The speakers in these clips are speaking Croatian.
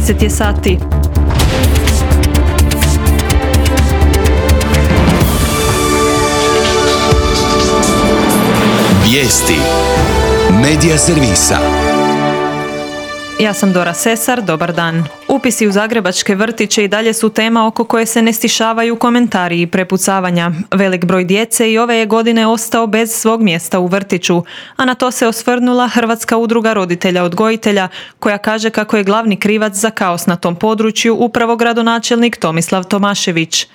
10 je sati. Vijesti Medija servisa. Ja sam Dora Sesar, dobar dan. Upisi u zagrebačke vrtiće i dalje su tema oko koje se ne stišavaju komentari i prepucavanja. Velik broj djece i ove je godine ostao bez svog mjesta u vrtiću, a na to se osvrnula Hrvatska udruga roditelja odgojitelja, koja kaže kako je glavni krivac za kaos na tom području upravo gradonačelnik Tomislav Tomašević.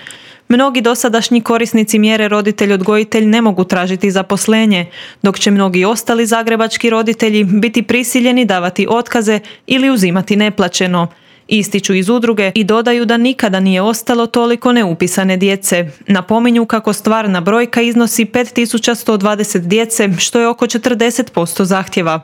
Mnogi dosadašnji korisnici mjere roditelj-odgojitelj ne mogu tražiti zaposlenje, dok će mnogi ostali zagrebački roditelji biti prisiljeni davati otkaze ili uzimati neplaćeno. Ističu iz udruge i dodaju da nikada nije ostalo toliko neupisane djece. Napominju kako stvarna brojka iznosi 5120 djece, što je oko 40% zahtjeva.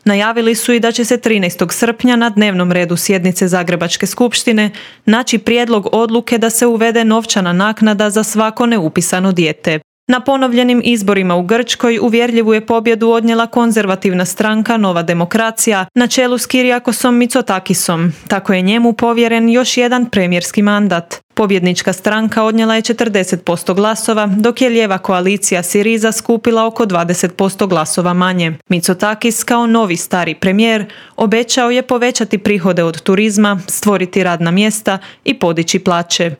Najavili su i da će se 13. srpnja na dnevnom redu sjednice Zagrebačke skupštine naći prijedlog odluke da se uvede novčana naknada za svako neupisano dijete. Na ponovljenim izborima u Grčkoj uvjerljivu je pobjedu odnijela konzervativna stranka Nova demokracija na čelu s Kyriakosom Mitsotakisom. Tako je njemu povjeren još jedan premijerski mandat. Pobjednička stranka odnijela je 40% glasova, dok je lijeva koalicija Syriza skupila oko 20% glasova manje. Mitsotakis kao novi stari premijer obećao je povećati prihode od turizma, stvoriti radna mjesta i podići plaće.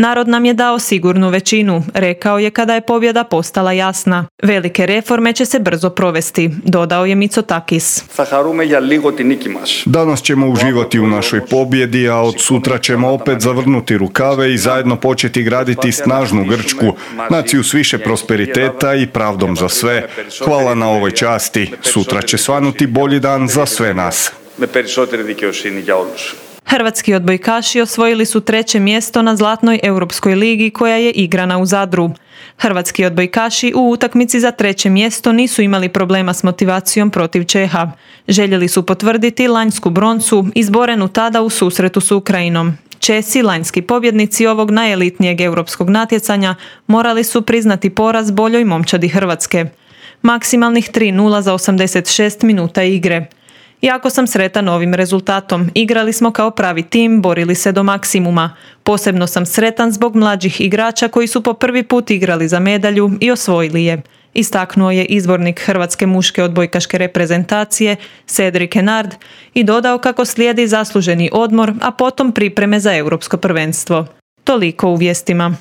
Narod nam je dao sigurnu većinu, rekao je kada je pobjeda postala jasna. Velike reforme će se brzo provesti, dodao je Mitsotakis. Danas ćemo uživati u našoj pobjedi, a od sutra ćemo opet zavrnuti rukave i zajedno početi graditi snažnu Grčku, naciju s više prosperiteta i pravdom za sve. Hvala na ovoj časti. Sutra će svanuti bolji dan za sve nas. Hrvatski odbojkaši osvojili su 3. mjesto na Zlatnoj europskoj ligi koja je igrana u Zadru. Hrvatski odbojkaši u utakmici za 3. mjesto nisu imali problema s motivacijom protiv Čeha. Željeli su potvrditi lanjsku broncu, izborenu tada u susretu s Ukrajinom. Česi, lanjski pobjednici ovog najelitnijeg europskog natjecanja, morali su priznati poraz boljoj momčadi Hrvatske. Maksimalnih 3:0 za 86 minuta igre. Jako sam sretan ovim rezultatom. Igrali smo kao pravi tim, borili se do maksimuma. Posebno sam sretan zbog mlađih igrača koji su po prvi put igrali za medalju i osvojili je. Istaknuo je izbornik hrvatske muške odbojkaške reprezentacije Cedric Henard i dodao kako slijedi zasluženi odmor, a potom pripreme za europsko prvenstvo. Toliko u vijestima.